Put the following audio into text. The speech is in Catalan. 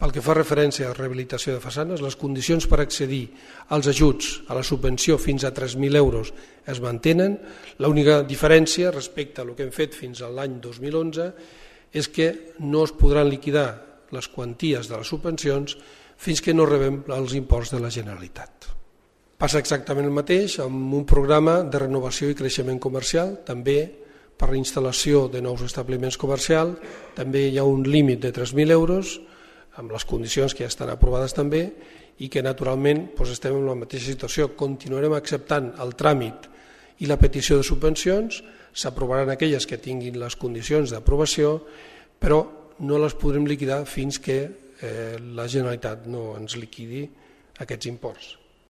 pel que fa referència a rehabilitació de façanes, les condicions per accedir als ajuts a la subvenció fins a 3.000 euros es mantenen. L'única diferència respecte a el que hem fet fins a l'any 2011 és que no es podran liquidar les quanties de les subvencions fins que no rebem els imports de la Generalitat. Passa exactament el mateix amb un programa de renovació i creixement comercial, també per la instal·lació de nous establiments comercials, també hi ha un límit de 3.000 euros, amb les condicions que ja estan aprovades també, i que naturalment estem en la mateixa situació. Continuarem acceptant el tràmit i la petició de subvencions, s'aprovaran aquelles que tinguin les condicions d'aprovació, però no les podrem liquidar fins que la Generalitat no ens liquidi aquests imports.